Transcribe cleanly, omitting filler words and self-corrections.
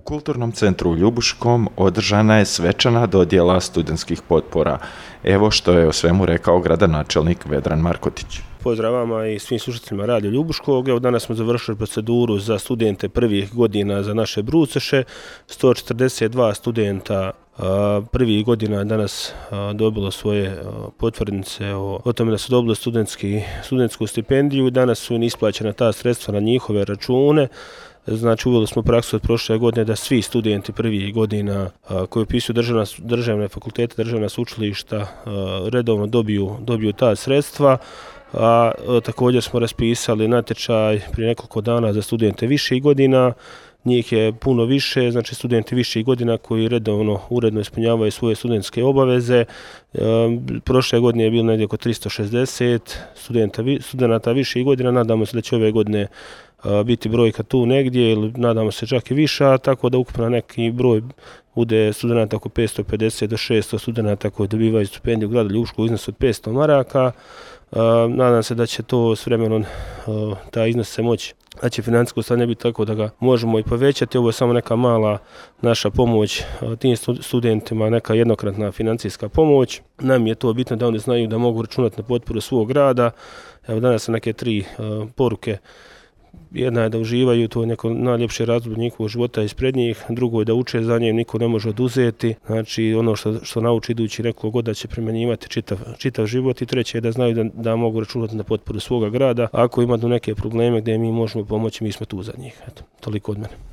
U Kulturnom centru u Ljubuškom održana je svečana dodjela studentskih potpora. Evo što je o svemu rekao gradonačelnik Vedran Markotić. Pozdrav vama i svim slušateljima Radio Ljubuškog. Evo danas smo završili proceduru za studente prvih godina za naše bruceše. 142 studenta prvih godina danas dobilo svoje potvrdnice o tome da su dobili studentsku stipendiju. Danas su isplaćena ta sredstva na njihove račune. Znači, uveli smo praksu od prošle godine da svi studenti prvih godina koji upisuju državne fakultete, državna sveučilišta redovno dobiju ta sredstva. A također smo raspisali natječaj prije nekoliko dana za studente viših godina. Njih je puno više, znači studenti viših godina koji uredno ispunjavaju svoje studentske obaveze. Prošle godine je bilo negdje oko 360 studenata viših godina, nadamo se da će ove godine biti brojka tu negdje ili nadamo se čak i viša, tako da ukupno neki broj bude studenta oko 550 do 600 studenta koji dobivaju stipendiju u gradu Ljubuškom u iznosu od 500 maraka. Nadam se da će to s vremenom taj iznos se moći, da će financijsko stanje biti tako da ga možemo i povećati. Ovo je samo neka mala naša pomoć tim studentima, neka jednokratna financijska pomoć. Nam je to bitno da oni znaju da mogu računati na potporu svog grada. Evo danas su neke 3 poruke. Jedna je da uživaju, to je neko najljepše razdoblje njihovog života ispred njih. Drugo je da uče za njim, niko ne može oduzeti. Znači ono što nauči idući nekoliko godina će primjenjivati čitav život. I treće je da znaju da mogu računati na potporu svoga grada. Ako imaju neke probleme gdje mi možemo pomoći, mi smo tu za njih. Eto, toliko od mene.